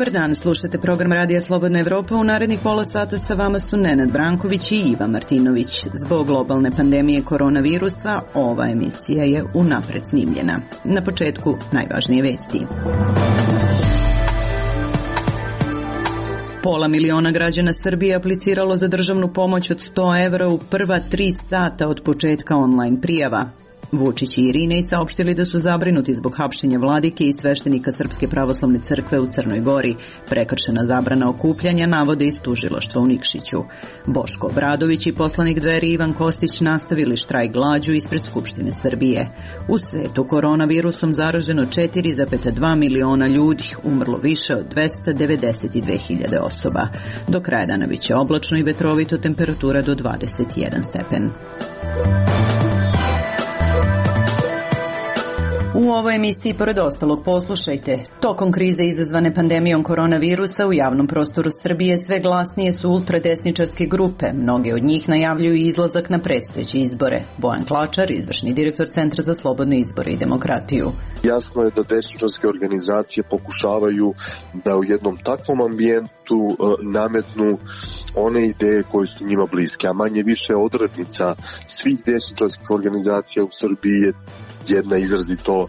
Dobar dan, slušate program Radija Slobodna Evropa. U narednih pola sata sa vama su Nenad Branković i Iva Martinović. Zbog globalne pandemije koronavirusa, ova emisija je unapred snimljena. Na početku najvažnije vesti. 500 000 građana Srbije apliciralo za državnu pomoć od 100 evra u prva 3 sata od početka online prijava. Vučić i Irinej saopštili da su zabrinuti zbog hapšenja vladike i sveštenika Srpske pravoslavne crkve u Crnoj Gori. Prekršena zabrana okupljanja navode iz tužilaštva u Nikšiću. Boško Obradović i poslanik Dveri Ivan Kostić nastavili štrajk glađu ispred Skupštine Srbije. U svetu koronavirusom zaraženo 4,2 miliona ljudi, umrlo više od 292.000 osoba. Do kraja dana biće oblačno i vetrovito, temperatura do 21 stepen. U ovoj emisiji, pored ostalog, poslušajte. Tokom krize izazvane pandemijom koronavirusa u javnom prostoru Srbije sve glasnije su ultradesničarske grupe. Mnoge od njih najavljuju izlazak na predstojeće izbore. Bojan Klačar, izvršni direktor Centra za slobodne izbore i demokratiju. Jasno je da desničarske organizacije pokušavaju da u jednom takvom ambijentu nametnu one ideje koje su njima bliske, a manje više odrednica svih desničarskih organizacija u Srbiji je jedna izrazito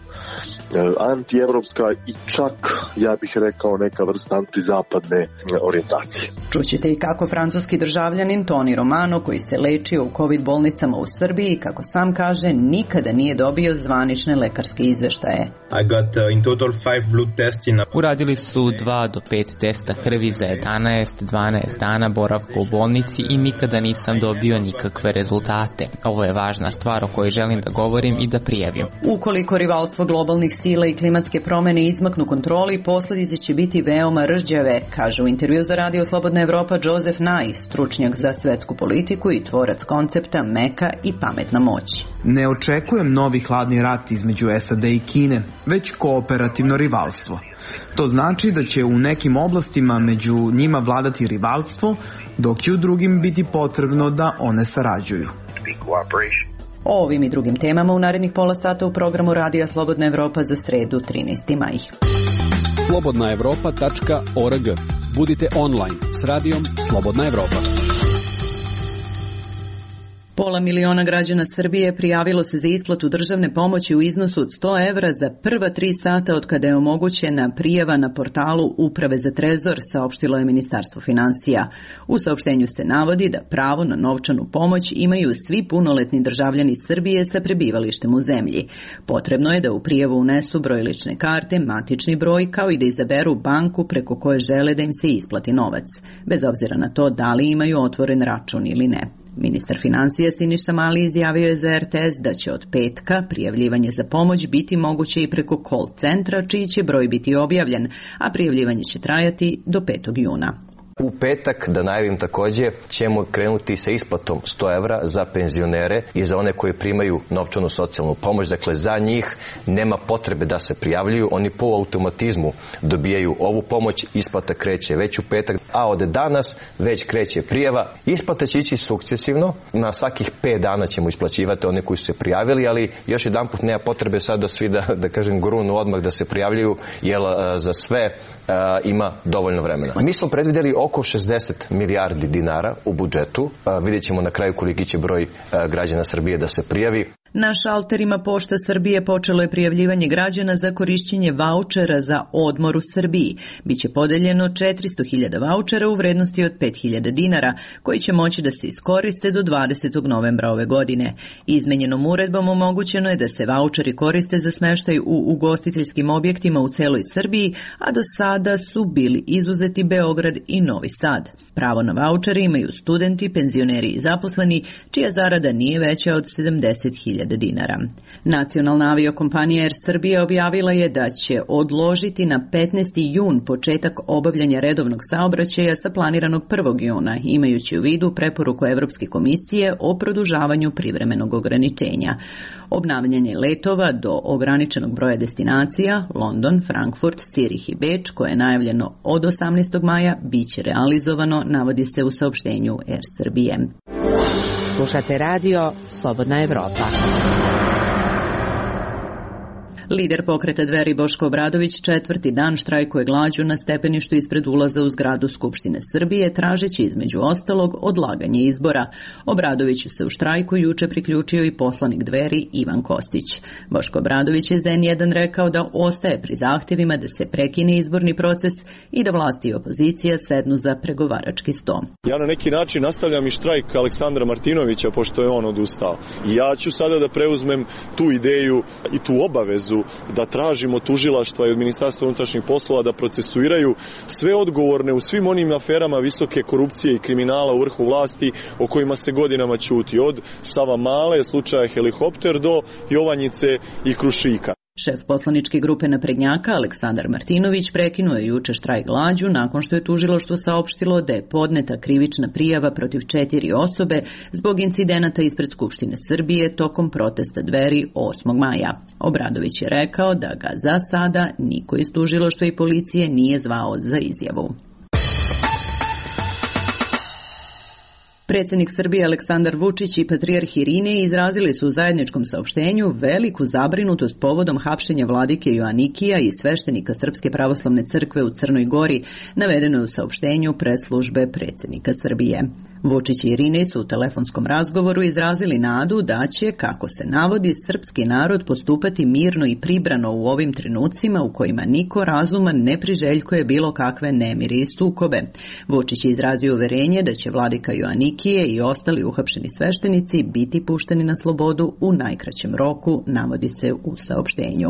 antievropska i čak, ja bih rekao, neka vrsta antizapadne orijentacije. Čućete i kako francuski državljanin Toni Romano, koji se lečio u COVID bolnicama u Srbiji, kako sam kaže, nikada nije dobio zvanične lekarske izveštaje. Uradili su 2 do 5 testa krvi za 11-12 dana boravka u bolnici i nikada nisam dobio nikakve rezultate. Ovo je važna stvar o kojoj želim da govorim i da prijavim. Ukoliko rivalstvo globalnih sila i klimatske promene izmaknu kontroli, posledice će biti veoma rđave, kaže u intervju za Radio Slobodna Evropa Joseph Nye, stručnjak za svetsku politiku i tvorac koncepta meka i pametna moć. Ne očekujem novi hladni rat između SAD i Kine, već kooperativno rivalstvo. To znači da će u nekim oblastima među njima vladati rivalstvo, dok će u drugim biti potrebno da one sarađuju. O ovim i drugim temama u narednih pola sata u programu Radija Slobodna Evropa za sredu 13. maj. slobodnaevropa.org. Budite online s Radijom Slobodna Evropa. 500 000 građana Srbije prijavilo se za isplatu državne pomoći u iznosu od 100 evra za prva 3 sata od kada je omogućena prijava na portalu Uprave za trezor, saopštilo je Ministarstvo finansija. U saopštenju se navodi da pravo na novčanu pomoć imaju svi punoletni državljani Srbije sa prebivalištem u zemlji. Potrebno je da u prijavu unesu broj lične karte, matični broj, kao i da izaberu banku preko koje žele da im se isplati novac, bez obzira na to da li imaju otvoren račun ili ne. Ministar finansija Siniša Mali izjavio je za RTS da će od petka prijavljivanje za pomoć biti moguće i preko call centra, čiji će broj biti objavljen, a prijavljivanje će trajati do 5. juna. U petak, da najavim takođe, ćemo krenuti sa isplatom 100 evra za penzionere i za one koji primaju novčanu socijalnu pomoć. Dakle, za njih nema potrebe da se prijavljuju, oni po automatizmu dobijaju ovu pomoć, isplata kreće već u petak, a od danas već kreće prijava. Isplata će ići sukcesivno, na svakih 5 dana ćemo isplaćivati one koji su se prijavili, ali još jedanput nema potrebe sad da svi da kažem grunu odmah da se prijavljuju, jer za sve ima dovoljno vremena. Mi smo predvideli oko 60 milijardi dinara u budžetu. Vidjet ćemo na kraju koliki će broj građana Srbije da se prijavi. Na šalterima Pošta Srbije počelo je prijavljivanje građana za korišćenje vaučera za odmor u Srbiji. Biće podeljeno 400.000 vaučera u vrednosti od 5.000 dinara, koji će moći da se iskoriste do 20. novembra ove godine. Izmenjenom uredbom omogućeno je da se vaučeri koriste za smeštaj u ugostiteljskim objektima u celoj Srbiji, a do sada su bili izuzeti Beograd i Novi Sad. Pravo na vaučere imaju studenti, penzioneri i zaposleni, čija zarada nije veća od 70.000 dinara. Nacionalna aviokompanija Air Srbija objavila je da će odložiti na 15. jun početak obavljanja redovnog saobraćaja sa planiranog 1. juna, imajući u vidu preporuku Evropske komisije o produžavanju privremenog ograničenja. Obnavljanje letova do ograničenog broja destinacija, London, Frankfurt, Cirih i Beč, koje je najavljeno od 18. maja, biće realizovano, navodi se u saopštenju Air Srbije. Slušate radio Slobodna Evropa. Lider pokreta Dveri Boško Obradović 4. dan štrajkuje glađu na stepeništu ispred ulaza u zgradu Skupštine Srbije, tražeći između ostalog odlaganje izbora. Obradoviću se u štrajku juče priključio i poslanik Dveri Ivan Kostić. Boško Obradović je za N1 rekao da ostaje pri zahtjevima da se prekine izborni proces i da vlasti i opozicija sednu za pregovarački sto. Ja na neki način nastavljam i štrajk Aleksandra Martinovića, pošto je on odustao. I ja ću sada da preuzmem tu ideju i tu obavezu da tražimo tužilaštva i od Ministarstva unutrašnjih poslova da procesuiraju sve odgovorne u svim onim aferama visoke korupcije i kriminala u vrhu vlasti o kojima se godinama ćuti. Od Savamale, slučaja Helikopter do Jovanjice i Krušika. Šef poslaničke grupe naprednjaka Aleksandar Martinović prekinuo je juče štrajk glađu nakon što je tužilaštvo saopštilo da je podneta krivična prijava protiv 4 osobe zbog incidenata ispred Skupštine Srbije tokom protesta Dveri 8. maja. Obradović je rekao da ga za sada niko iz tužilaštva i policije nije zvao za izjavu. Predsjednik Srbije Aleksandar Vučić i patrijarh Irinej izrazili su u zajedničkom saopštenju veliku zabrinutost povodom hapšenja vladike Joanikija i sveštenika Srpske pravoslavne crkve u Crnoj Gori, navedeno je u saopštenju press-službe predsjednika Srbije. Vučić i Irinej su u telefonskom razgovoru izrazili nadu da će, kako se navodi, srpski narod postupati mirno i pribrano u ovim trenucima u kojima niko razuman ne priželjkuje bilo kakve nemiri i sukobe. Vučić je izrazio uverenje da će vladika Joanikije i ostali uhapšeni sveštenici biti pušteni na slobodu u najkraćem roku, navodi se u saopštenju.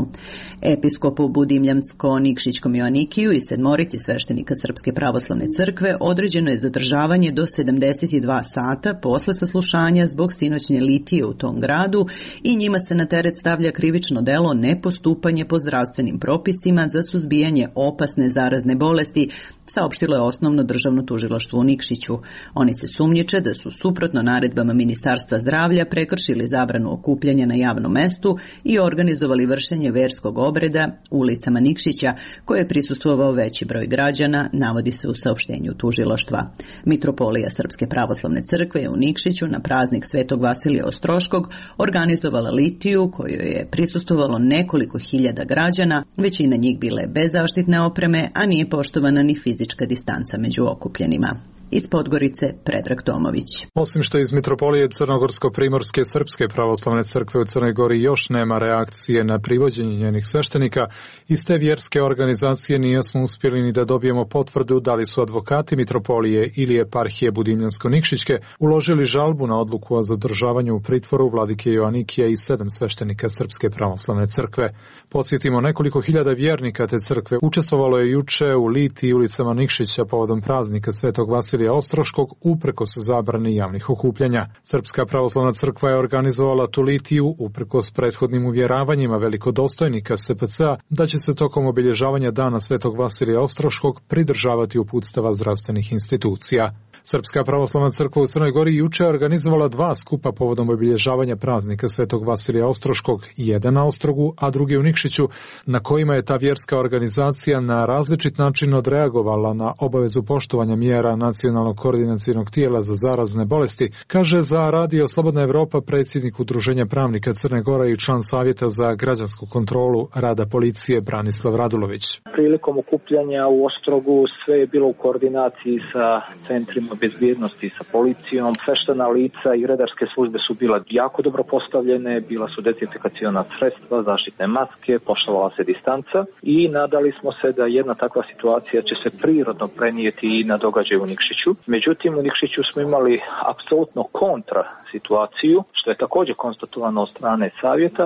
Episkopu Budimljansko-Nikšićkom Joanikiju i 7 sveštenika Srpske pravoslavne crkve određeno je zadržavanje do 72 sata posle saslušanja zbog sinoćnje litije u tom gradu i njima se na teret stavlja krivično delo nepostupanje po zdravstvenim propisima za suzbijanje opasne zarazne bolesti, saopštilo je Osnovno državno tužilaštvo u Nikšiću. Oni se sumnjiče da su suprotno naredbama Ministarstva zdravlja prekršili zabranu okupljanja na javnom mestu i organizovali vršenje verskog obreda ulicama Nikšića, koje je prisustvovao veći broj građana, navodi se u saopštenju tužilaštva. Mitropolija Srpske pravoslavne crkve je u Nikšiću na praznik Svetog Vasilija Ostroškog organizovala litiju kojoj je prisustvovalo nekoliko hiljada građana, većina njih bile bez zaštitne opreme, a nije poštovana ni fizička distanca među okupljenima. Iz Podgorice, Predrag Tomović. Osim što iz Mitropolije Crnogorsko-Primorske Srpske pravoslavne crkve u Crnoj Gori još nema reakcije na privođenje njenih sveštenika, iz te vjerske organizacije nismo uspjeli ni da dobijemo potvrdu da li su advokati Mitropolije ili eparhije Budimljansko-Nikšićke uložili žalbu na odluku o zadržavanju u pritvoru vladike Joanikija i 7 sveštenika Srpske pravoslavne crkve. Podsjetimo, nekoliko hiljada vjernika te crkve učestvovalo je juče u litiji ulicama Nikšića povodom praznika Svetog Vasilija Ostroškog uprkos zabrani javnih okupljanja. Srpska pravoslavna crkva je organizovala tu litiju uprkos prethodnim uvjeravanjima velikodostojnika SPC-a da će se tokom obilježavanja dana Svetog Vasilija Ostroškog pridržavati uputstava zdravstvenih institucija. Srpska pravoslavna crkva u Crnoj Gori juče organizovala 2 skupa povodom obilježavanja praznika Svetog Vasilija Ostroškog, jedan na Ostrogu, a drugi u Nikšiću, na kojima je ta vjerska organizacija na različit način odreagovala na obavezu poštovanja mjera Nacionalnog koordinacionog tijela za zarazne bolesti, kaže za Radio Slobodna Evropa predsjednik Udruženja pravnika Crne Gore i član Savjeta za građansku kontrolu rada policije Branislav Radulović. Prilikom okupljanja u Ostrogu sve je bilo u koordinaciji sa centrima bezbjednosti, sa policijom. Sveštena lica i redarske službe su bila jako dobro postavljene, bila su dezinfekaciona sredstva, zaštitne maske, poštovala se distanca i nadali smo se da jedna takva situacija će se prirodno prenijeti i na događaj u Nikšiću. Međutim, u Nikšiću smo imali apsolutno kontra situaciju, što je također konstatovano od strane savjeta,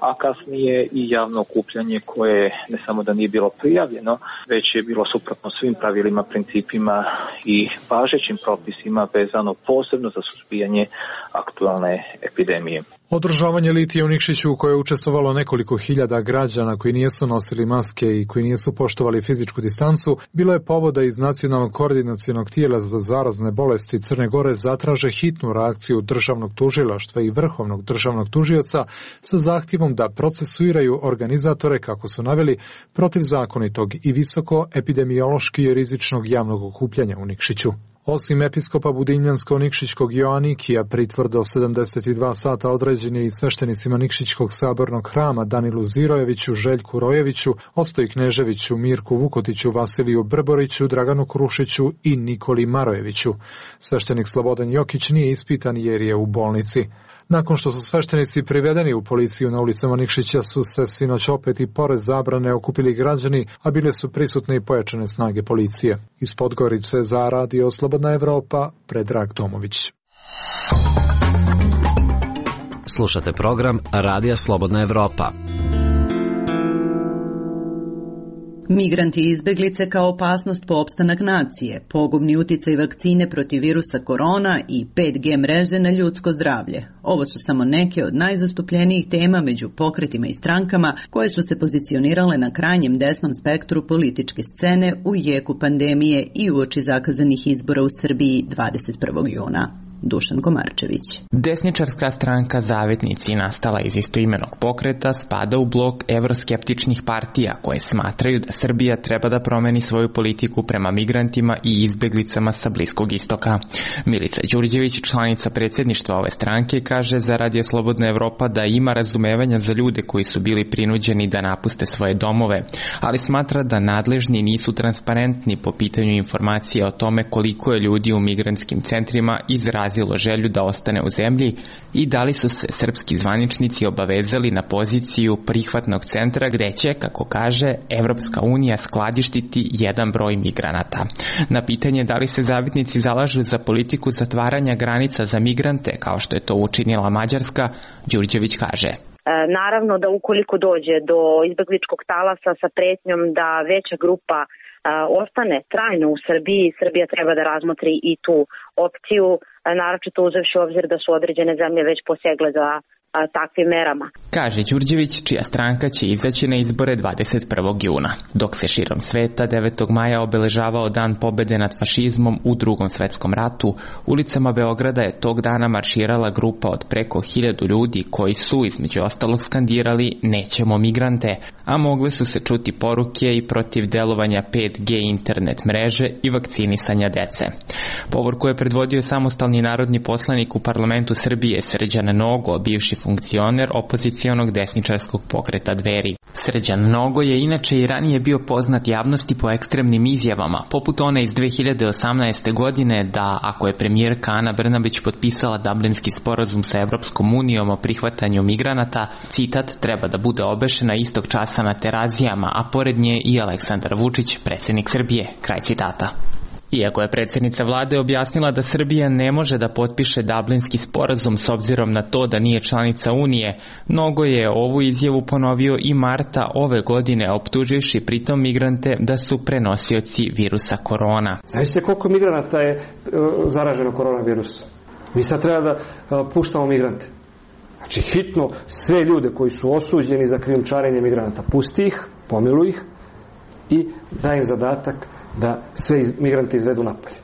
a kasnije i javno okupljanje koje ne samo da nije bilo prijavljeno, već je bilo suprotno svim pravilima, principima i važećim propisima vezano posebno za suzbijanje aktualne epidemije. Održavanje litije u Nikšiću u kojoj je učestvovalo nekoliko hiljada građana koji nisu nosili maske i koji nisu poštovali fizičku distancu, bilo je povoda iz Nacionalnog koordinacionog tijela za zarazne bolesti Crne Gore zatraže hitnu reakciju državnog tužilaštva i vrhovnog državnog tužioca sa zahtjevom da procesuiraju organizatore, kako su naveli, protivzakonitog i visoko epidemiološki rizičnog javnog okupljanja u Nikšiću. Osim episkopa Budimljansko-Nikšićkog Joanikija, pritvor do 72 sata određen je i sveštenicima Nikšićkog sabornog hrama Danilu Zirojeviću, Željku Rojeviću, Ostoji Kneževiću, Mirku Vukotiću, Vasiliju Brboriću, Draganu Krušiću i Nikoli Marojeviću. Sveštenik Slobodan Jokić nije ispitan jer je u bolnici. Nakon što su sveštenici privedeni u policiju na ulicama Nikšića su se sinoć opet i pored zabrane okupili građani, a bile su prisutne i pojačane snage policije. Iz Podgorice za Radio Slobodna Evropa, Predrag Tomović. Slušate program Radija Slobodna Evropa. Migranti i izbeglice kao opasnost po opstanak nacije, pogubni uticaj vakcine protiv virusa korona i 5G mreže na ljudsko zdravlje. Ovo su samo neke od najzastupljenijih tema među pokretima i strankama koje su se pozicionirale na krajnjem desnom spektru političke scene u jeku pandemije i uoči zakazanih izbora u Srbiji 21. juna. Dušan Komarčević. Desničarska stranka Zavetnici, nastala iz istoimenog pokreta, spada u blok evroskeptičnih partija koje smatraju da Srbija treba da promeni svoju politiku prema migrantima i izbeglicama sa Bliskog istoka. Milica Đurđević, članica predsjedništva ove stranke, kaže za Radio Slobodna Evropa da ima razumevanja za ljude koji su bili prinuđeni da napuste svoje domove, ali smatra da nadležni nisu transparentni po pitanju informacija o tome koliko je ljudi u migrantskim centrima izrazilo želju da ostane u zemlji i da li su se srpski zvaničnici obavezali na poziciju prihvatnog centra gde će, kako kaže, Evropska unija skladištiti jedan broj migranata. Na pitanje da li se Zavetnici zalažu za politiku zatvaranja granica za migrante, kao što je to učinila Mađarska, Đurđević kaže: Naravno da ukoliko dođe do izbegličkog talasa sa pretnjom da veća grupa ostane trajno u Srbiji, Srbija treba da razmotri i tu opciju, naročito uzevši u obzir da su određene zemlje već posegle za takvim merama. Kaže Đurđević, čija stranka će izaći na izbore 21. juna. Dok se širom sveta 9. maja obeležavao Dan pobede nad fašizmom u Drugom svetskom ratu, ulicama Beograda je tog dana marširala grupa od preko 1000 ljudi koji su, između ostalog, skandirali "Nećemo migrante", a mogle su se čuti poruke i protiv delovanja 5G internet mreže i vakcinisanja dece. Povorku je predvodio samostalni narodni poslanik u parlamentu Srbije Srđan Nogo, bivši funkcioner opozicionog desničarskog pokreta Dveri. Srđan Nogo je inače i ranije bio poznat javnosti po ekstremnim izjavama, poput one iz 2018. godine da ako je premijerka Ana Brnabić potpisala Dublinski sporazum sa Evropskom unijom o prihvatanju migranata, citat, treba da bude obešena istog časa na Terazijama, a pored nje i Aleksandar Vučić, predsjednik Srbije, kraj citata. Iako je predsjednica vlade objasnila da Srbija ne može da potpiše Dublinski sporazum s obzirom na to da nije članica Unije, Nogo je ovu izjavu ponovio i marta ove godine, optuživši pritom migrante da su prenosioci virusa korona. Znaš koliko migranata je zaraženo koronavirusom? Mi sad treba da puštamo migrante. Znači hitno sve ljude koji su osuđeni za krijumčarenje migranata, pusti ih, pomiluj ih i daj im zadatak da sve migrante izvedu napolje.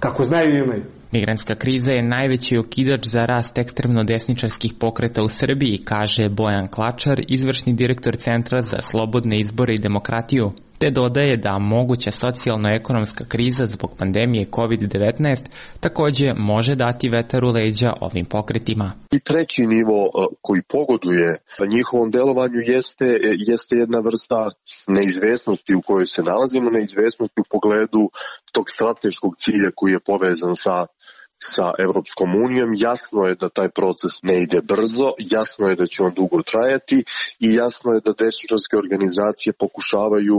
Kako znaju i imaju. Migrantska kriza je najveći okidač za rast ekstremno desničarskih pokreta u Srbiji, kaže Bojan Klačar, izvršni direktor Centra za slobodne izbore i demokratiju, te dodaje da moguća socijalno-ekonomska kriza zbog pandemije COVID-19 također može dati vetar u leđa ovim pokretima. I treći nivo koji pogoduje njihovom delovanju jeste jedna vrsta neizvesnosti u kojoj se nalazimo, neizvesnosti u pogledu tog strateškog cilja koji je povezan sa Evropskom unijom. Jasno je da taj proces ne ide brzo, jasno je da će on dugo trajati i jasno je da desničarske organizacije pokušavaju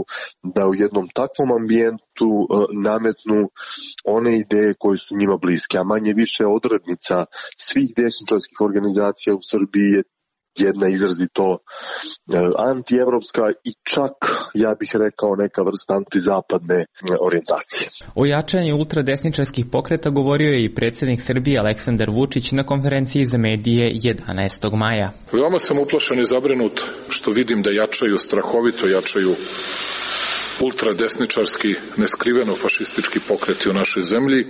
da u jednom takvom ambijentu nametnu one ideje koje su njima bliske, a manje više odrednica svih desničarskih organizacija u Srbiji je jedna izrazito antievropska i čak, ja bih rekao, neka vrsta antizapadne orijentacije. O jačanju ultradesničarskih pokreta govorio je i predsjednik Srbije Aleksandar Vučić na konferenciji za medije 11. maja. Veoma sam uplašen i zabrinut što vidim da strahovito jačaju ultradesničarski, neskriveno fašistički pokreti u našoj zemlji,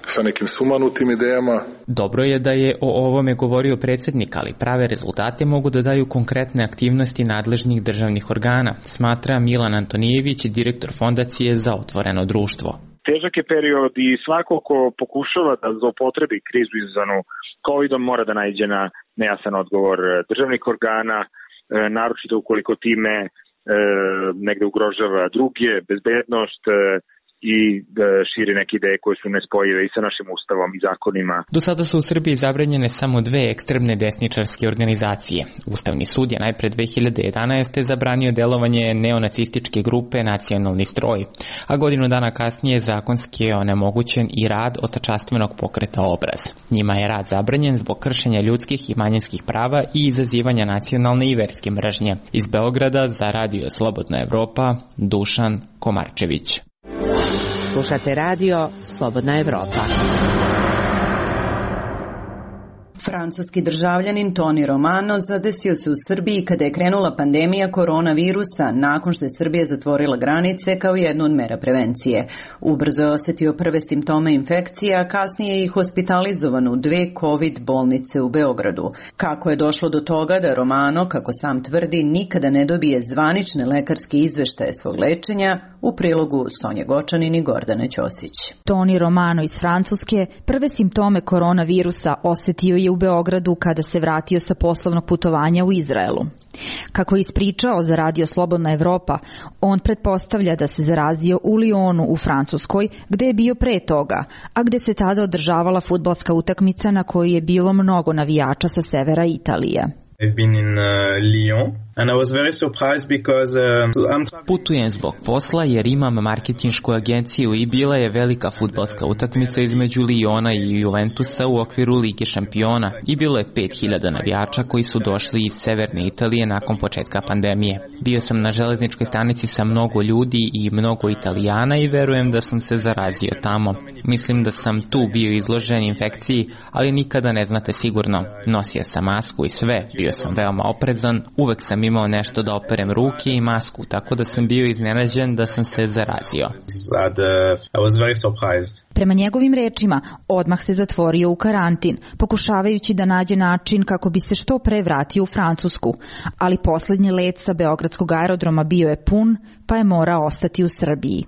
sa nekim sumanutim idejama. Dobro je da je o ovome govorio predsjednik, ali prave rezultate mogu da daju konkretne aktivnosti nadležnih državnih organa, smatra Milan Antonijević, direktor Fondacije za otvoreno društvo. težak je period i svako ko pokušava da zloupotrebi krizu izazvanu COVID-om mora da naiđe na nejasan odgovor državnih organa, naročito ukoliko time negde ugrožava druge, bezbednost i širi neke ideje koje su nespojive i sa našim ustavom i zakonima. Do sada su u Srbiji zabranjene samo dve ekstremne desničarske organizacije. Ustavni sud je najpre 2011. zabranio delovanje neonacističke grupe Nacionalni stroj, a godinu dana kasnije zakonski je onemogućen i rad otačastvenog pokreta Obraz. Njima je rad zabranjen zbog kršenja ljudskih i manjinskih prava i izazivanja nacionalne i verske mržnje. Iz Beograda za Radio Slobodna Evropa, Dušan Komarčević. Slušate radio Slobodna Evropa. Francuski državljanin Toni Romano zadesio se u Srbiji kada je krenula pandemija koronavirusa nakon što je Srbija zatvorila granice kao jednu od mera prevencije. Ubrzo je osetio prve simptome infekcije, a kasnije je i hospitalizovan u 2 COVID bolnice u Beogradu. Kako je došlo do toga da Romano, kako sam tvrdi, nikada ne dobije zvanične lekarske izveštaje svog lečenja, u prilogu Sonje Gočanin i Gordana Ćosić. Toni Romano iz Francuske prve simptome koronavirusa osetio je u Beogradu kada se vratio sa poslovnog putovanja u Izraelu. Kako je ispričao za Radio Slobodna Evropa, on pretpostavlja da se zarazio u Lyonu u Francuskoj, gde je bio pre toga, a gde se tada održavala fudbalska utakmica na kojoj je bilo mnogo navijača sa severa Italije. Putujem zbog posla jer imam marketinšku agenciju i bila je velika fudbalska utakmica između Lyona i Juventusa u okviru Lige šampiona i bilo je 5000 navijača koji su došli iz severne Italije nakon početka pandemije. Bio sam na železničkoj stanici sa mnogo ljudi i mnogo Italijana i verujem da sam se zarazio tamo. Mislim da sam tu bio izložen infekciji, ali nikada ne znate sigurno. Nosio sam masku i sve, bio sam veoma oprezan, uvek sam imao nešto da operem ruke i masku, tako da sam bio iznenađen da sam se zarazio. Prema njegovim rečima, odmah se zatvorio u karantin, pokušavajući da nađe način kako bi se što pre vratio u Francusku, ali poslednji let sa beogradskog aerodroma bio je pun, pa je morao ostati u Srbiji.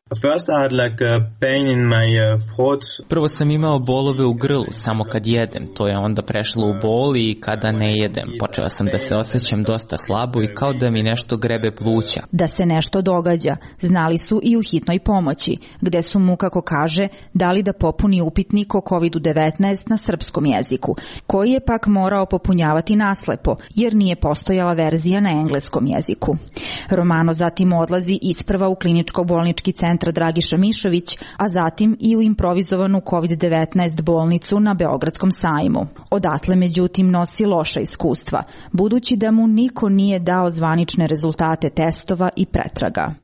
Prvo sam imao bolove u grlu samo kad jedem, to je onda prešlo u bol i kada ne jedem. Počeo sam da se osjećam dosta slabo i kao da mi nešto grebe pluća. Da se nešto događa, znali su i u hitnoj pomoći, gde su mu, kako kaže, dali da popuni upitnik o COVID-19 na srpskom jeziku, koji je pak morao popunjavati naslepo, jer nije postojala verzija na engleskom jeziku. Romano zatim odlazi isprva u kliničko-bolnički centar Dragiša Mišović, a zatim i u improvizovanu COVID-19 bolnicu na Beogradskom sajmu. Odatle, međutim, nosi loša iskustva, budući da mu niko nije dao zvanične rezultate testova i pretraga.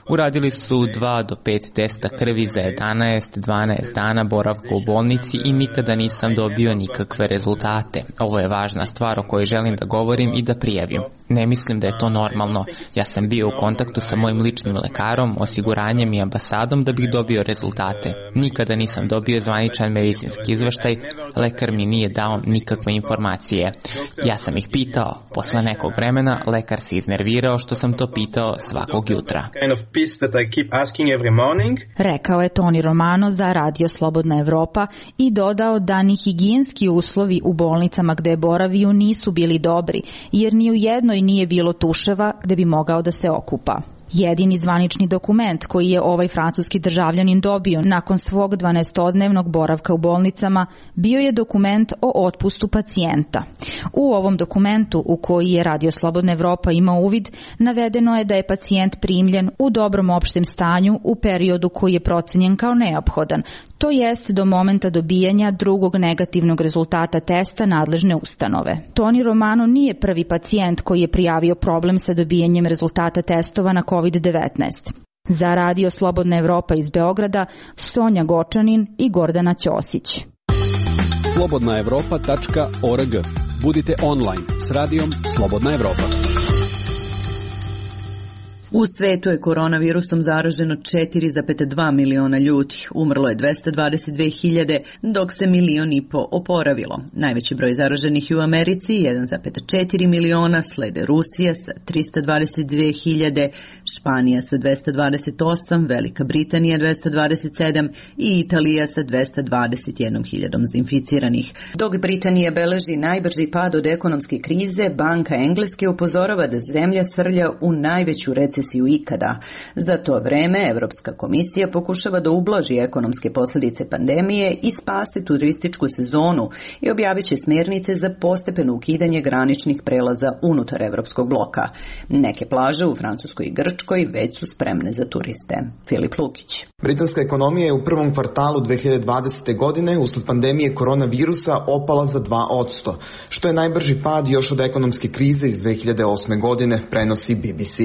Uradili su 2 do 5 testa krvi za 11-12 dana boravka u bolnici i nikada nisam dobio nikakve rezultate. Ovo je važna stvar o kojoj želim da govorim i da prijavim. Ne mislim da je to normalno. Ja sam bio u kontaktu sa mojim ličnim lekarom, osiguranjem i ambasadom da bih dobio rezultate. Nikada nisam dobio zvaničan medicinski izveštaj, lekar mi nije dao nikakve informacije. Ja sam ih pitao. Posle nekog vremena lekar se iznervirao što sam to pitao svakog jutra. Rekao je Toni Romano za Radio Slobodna Evropa i dodao da ni higijenski uslovi u bolnicama gde je boravio nisu bili dobri, jer ni u jednoj nije bilo tuševa gde bi mogao da se okupa. Jedini zvanični dokument koji je ovaj francuski državljanin dobio nakon svog 12-dnevnog boravka u bolnicama bio je dokument o otpustu pacijenta. U ovom dokumentu, u koji je Radio Slobodna Evropa imao uvid, navedeno je da je pacijent primljen u dobrom opštem stanju u periodu koji je procenjen kao neophodan, to jest do momenta dobijanja drugog negativnog rezultata testa nadležne ustanove. Toni Romano nije prvi pacijent koji je prijavio problem sa dobijanjem rezultata testova na COVID-19. Za Radio Slobodna Evropa iz Beograda, Sonja Gočanin i Gordana Ćosić. slobodnaevropa.org. Budite online s Radijom Slobodna Evropa. U svetu je koronavirusom zaraženo 4,2 miliona ljudi, umrlo je 222.000, dok se 1,5 miliona oporavilo. Najveći broj zaraženih je u Americi, 1,4 miliona, slede Rusija sa 322.000, Španija sa 228, Velika Britanija 227 i Italija sa 221.000 inficiranih. Dok Britanija beleži najbrži pad od ekonomske krize, Banka Engleske upozorava da zemlja srlja u najveću recesiju ikada. Za to vreme Evropska komisija pokušava da ublaži ekonomske posljedice pandemije i spase turističku sezonu i objavit će smjernice za postepeno ukidanje graničnih prelaza unutar evropskog bloka. Neke plaže u Francuskoj i Grčkoj već su spremne za turiste. Filip Lukić. Britanska ekonomija je u prvom kvartalu 2020. godine usled pandemije koronavirusa opala za 2%, što je najbrži pad još od ekonomske krize iz 2008. godine, prenosi BBC.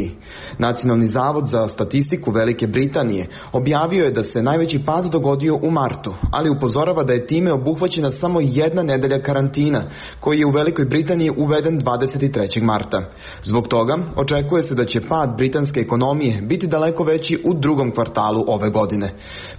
Nacionalni zavod za statistiku Velike Britanije objavio je da se najveći pad dogodio u martu, ali upozorava da je time obuhvaćena samo jedna nedelja karantina, koji je u Velikoj Britaniji uveden 23. marta. Zbog toga očekuje se da će pad britanske ekonomije biti daleko veći u drugom kvartalu ove godine.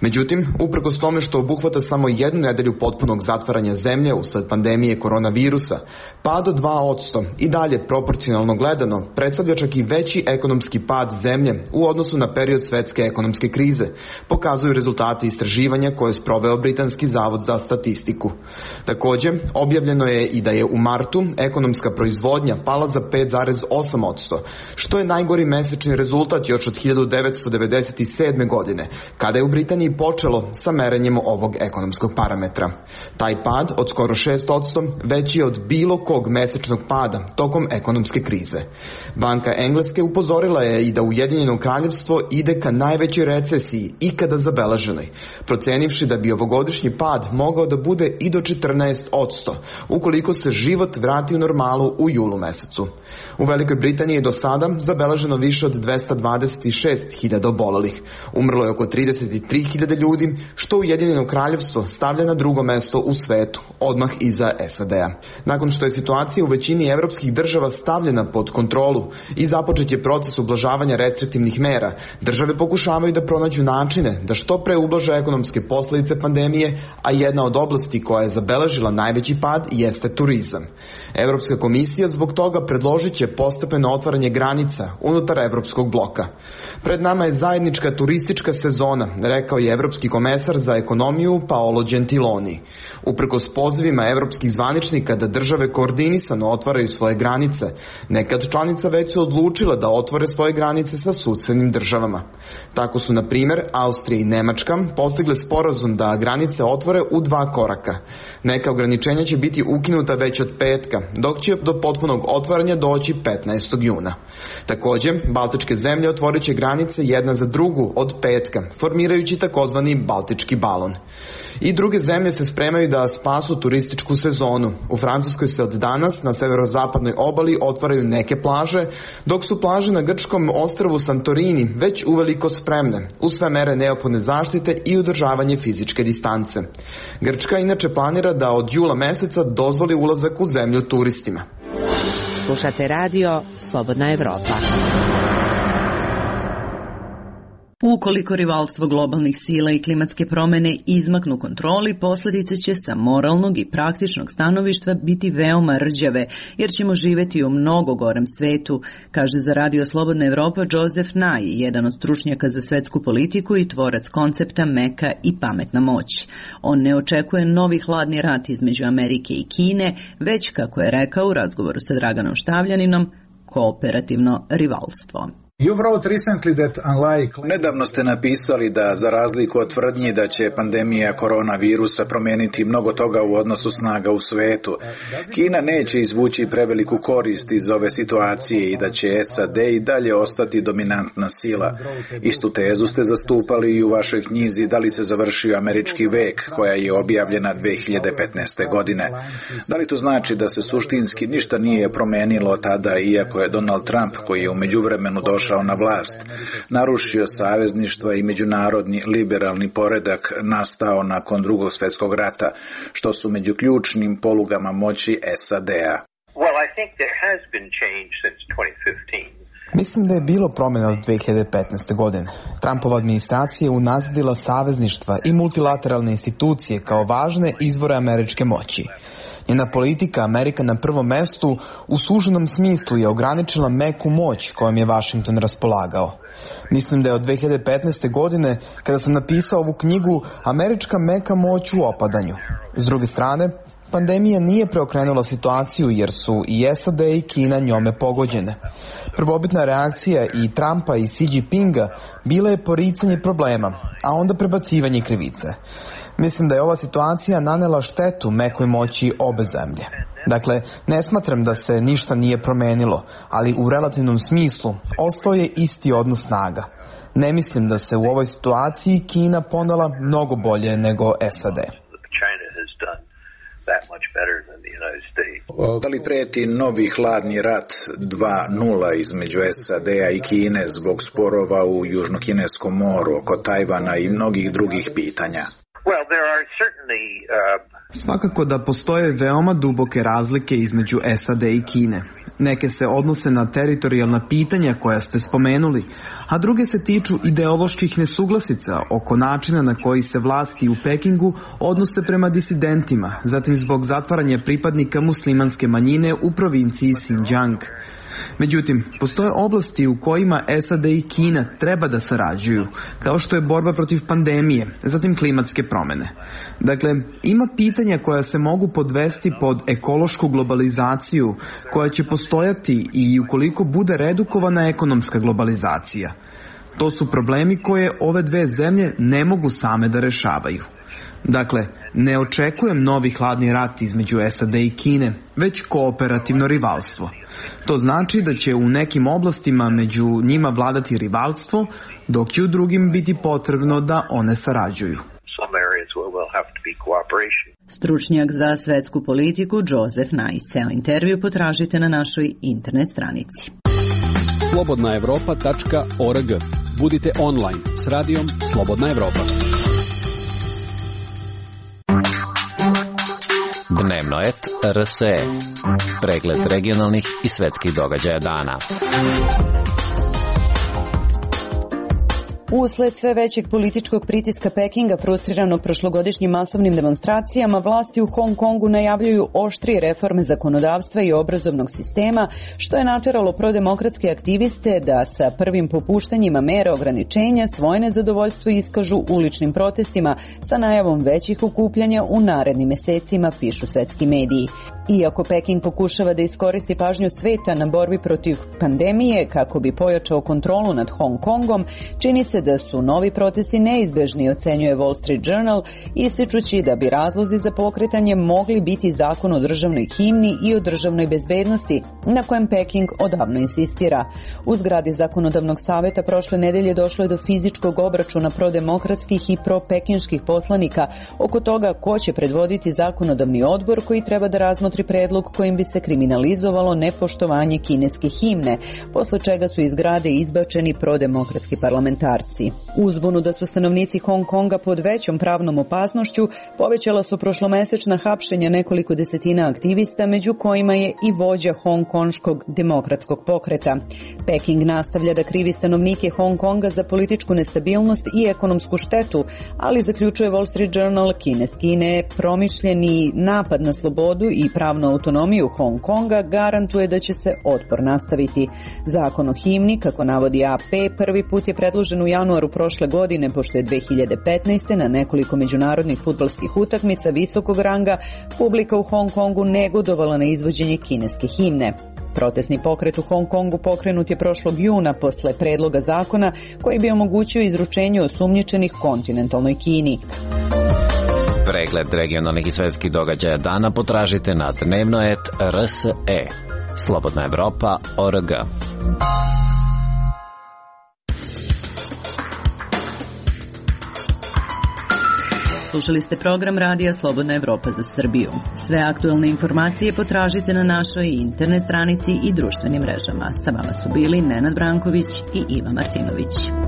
Međutim, uprkos tome što obuhvata samo jednu nedelju potpunog zatvaranja zemlje usled pandemije koronavirusa, pad od 2% i dalje proporcionalno gledano predstavlja čak i veći ekonomski pad zemlje u odnosu na period svetske ekonomske krize, pokazuju rezultati istraživanja koje je sproveo Britanski zavod za statistiku. Također, objavljeno je i da je u martu ekonomska proizvodnja pala za 5,8%, što je najgori mesečni rezultat još od 1997. godine, kada je u Britaniji počelo sa merenjem ovog ekonomskog parametra. Taj pad od skoro 6% veći je od bilo kog mesečnog pada tokom ekonomske krize. Banka Engleske upozorila je i da Ujedinjeno kraljevstvo ide ka najvećoj recesiji ikada zabeleženoj, procenivši da bi ovogodišnji pad mogao da bude i do 14%, ukoliko se život vrati u normalu u julu mesecu. U Velikoj Britaniji je do sada zabeleženo više od 226.000 obolelih. Umrlo je oko 33.000 ljudi, što Ujedinjeno kraljevstvo stavlja na drugo mesto u svetu, odmah iza SAD-a. Nakon što je situacija u većini evropskih država stavljena pod kontrolu i započet je proces ublažavanja restriktivnih mera, države pokušavaju da pronađu načine da što pre ublaže ekonomske posljedice pandemije, a jedna od oblasti koja je zabeležila najveći pad jeste turizam. Evropska komisija zbog toga predložit će postepeno otvaranje granica unutar evropskog bloka. Pred nama je zajednička turistička sezona, rekao je evropski komesar za ekonomiju Paolo Gentiloni. Uprkos pozivima evropskih zvaničnika da države koordinisano otvaraju svoje granice, neka od članica već su odlučile da otvore svoje granice sa susednim državama. Tako su, na primjer, Austrija i Nemačka postigle sporazum da granice otvore u 2 koraka. Neka ograničenja će biti ukinuta već od petka, dok će do potpunog otvaranja doći 15. juna. Također, baltičke zemlje otvorit će granice jedna za drugu od petka, formirajući takozvani baltički balon. I druge zemlje se spremaju da spasu turističku sezonu. U Francuskoj se od danas na severozapadnoj obali otvaraju neke plaže, dok su plaže na grčkom ostrvu Santorini već uveliko spremne, uz sve mere neophodne zaštite i održavanje fizičke distance. Grčka inače planira da od jula meseca dozvoli ulazak u zemlju turistima. Slušate radio Slobodna Evropa. Ukoliko rivalstvo globalnih sila i klimatske promjene izmaknu kontroli, posljedice će sa moralnog i praktičnog stanovišta biti veoma rđave, jer ćemo živjeti u mnogo gorem svetu, kaže za Radio Slobodna Evropa Joseph Nye, jedan od stručnjaka za svetsku politiku i tvorac koncepta meka i pametna moć. On ne očekuje novi hladni rat između Amerike i Kine, već, kako je rekao u razgovoru sa Draganom Štavljaninom, kooperativno rivalstvo. Nedavno ste napisali da, za razliku od tvrdnji da će pandemija koronavirusa promijeniti mnogo toga u odnosu snaga u svetu, Kina neće izvući preveliku korist iz ove situacije i da će SAD i dalje ostati dominantna sila. Istu tezu ste zastupali i u vašoj knjizi Da li se završio američki vek, koja je objavljena 2015. godine. Da li to znači da se suštinski ništa nije promijenilo tada, iako je Donald Trump, koji je u međuvremenu došao na vlast, narušio savezništva i međunarodni liberalni poredak nastao nakon Drugog svjetskog rata, što su među ključnim polugama moći SAD-a? Well, I think there has been change since 2015. Mislim da je bilo promjena od 2015. godine. Trumpova administracija je unazadila savezništva i multilateralne institucije kao važne izvore američke moći. Njena politika Amerika na prvom mestu u suženom smislu je ograničila meku moć kojom je Washington raspolagao. Mislim da je od 2015. godine, kada sam napisao ovu knjigu, američka meka moć u opadanju. S druge strane, pandemija nije preokrenula situaciju jer su i SAD i Kina njome pogođene. Prvobitna reakcija i Trumpa i Xi Jinpinga bila je poricanje problema, a onda prebacivanje krivice. Mislim da je ova situacija nanela štetu mekoj moći obe zemlje. Dakle, ne smatram da se ništa nije promenilo, ali u relativnom smislu ostao je isti odnos snaga. Ne mislim da se u ovoj situaciji Kina ponela mnogo bolje nego SAD. Da li preti novi hladni rat 2.0 između SAD-a i Kine zbog sporova u Južnokineskom moru, oko Tajvana i mnogih drugih pitanja? Svakako da postoje veoma duboke razlike između SAD i Kine. Neke se odnose na teritorijalna pitanja koja ste spomenuli, a druge se tiču ideoloških nesuglasica oko načina na koji se vlasti u Pekingu odnose prema disidentima, zatim zbog zatvaranja pripadnika muslimanske manjine u provinciji Xinjiang. Međutim, postoje oblasti u kojima SAD i Kina treba da sarađuju, kao što je borba protiv pandemije, zatim klimatske promjene. Dakle, ima pitanja koja se mogu podvesti pod ekološku globalizaciju, koja će postojati i ukoliko bude redukovana ekonomska globalizacija. To su problemi koje ove dve zemlje ne mogu same da rešavaju. Dakle, ne očekujem novi hladni rat između SAD i Kine, već kooperativno rivalstvo. To znači da će u nekim oblastima među njima vladati rivalstvo, dok će u drugim biti potrebno da one sarađuju. Stručnjak za svetsku politiku Joseph Nice. Intervju potražite na našoj internet stranici. slobodnaevropa.org. Budite online s radijom Slobodna Evropa. Dnevnoet RSE. Pregled regionalnih i svetskih događaja dana. Usled sve većeg političkog pritiska Pekinga, frustriranog prošlogodišnjim masovnim demonstracijama, vlasti u Hong Kongu najavljuju oštrije reforme zakonodavstva i obrazovnog sistema, što je nateralo prodemokratske aktiviste da sa prvim popuštanjima mera ograničenja svoje nezadovoljstvo iskažu uličnim protestima sa najavom većih okupljanja u narednim mesecima, pišu svetski mediji. Iako Peking pokušava da iskoristi pažnju sveta na borbi protiv pandemije kako bi pojačao kontrolu nad Hong Kongom, čini se da su novi protesti neizbežni, ocenjuje Wall Street Journal, ističući da bi razlozi za pokretanje mogli biti zakon o državnoj himni i o državnoj bezbednosti, na kojem Peking odavno insistira. U zgradi zakonodavnog saveta prošle nedelje došlo je do fizičkog obračuna prodemokratskih i propekinških poslanika oko toga ko će predvoditi zakonodavni odbor koji treba da razmotri predlog kojim bi se kriminalizovalo nepoštovanje kineske himne, posle čega su iz zgrade izbačeni prodemokratski parlamentarci. Uzbunu da su stanovnici Hong Konga pod većom pravnom opasnošću povećala su prošlomesečna hapšenja nekoliko desetina aktivista, među kojima je i vođa hongkonškog demokratskog pokreta. Peking nastavlja da krivi stanovnike Hong Konga za političku nestabilnost i ekonomsku štetu, ali zaključuje Wall Street Journal, kineski promišljeni napad na slobodu i pravnu autonomiju Hong Konga garantuje da će se otpor nastaviti. Zakon o himni, kako navodi AP, prvi put je predložen u januaru prošle godine, pošto je 2015. na nekoliko međunarodnih fudbalskih utakmica visokog ranga publika u Hong Kongu negodovala na izvođenje kineske himne. Protestni pokret u Hong Kongu pokrenut je prošlog juna posle predloga zakona koji bi omogućio izručenje osumnjičenih kontinentalnoj Kini. Pregled regionalnih i svetskih događaja dana potražite na Dnevnoet RSE. Slobodna Evropa.org. Slušali ste program Radija Slobodna Evropa za Srbiju. Sve aktuelne informacije potražite na našoj internet stranici i društvenim mrežama. Sa vama su bili Nenad Branković i Iva Martinović.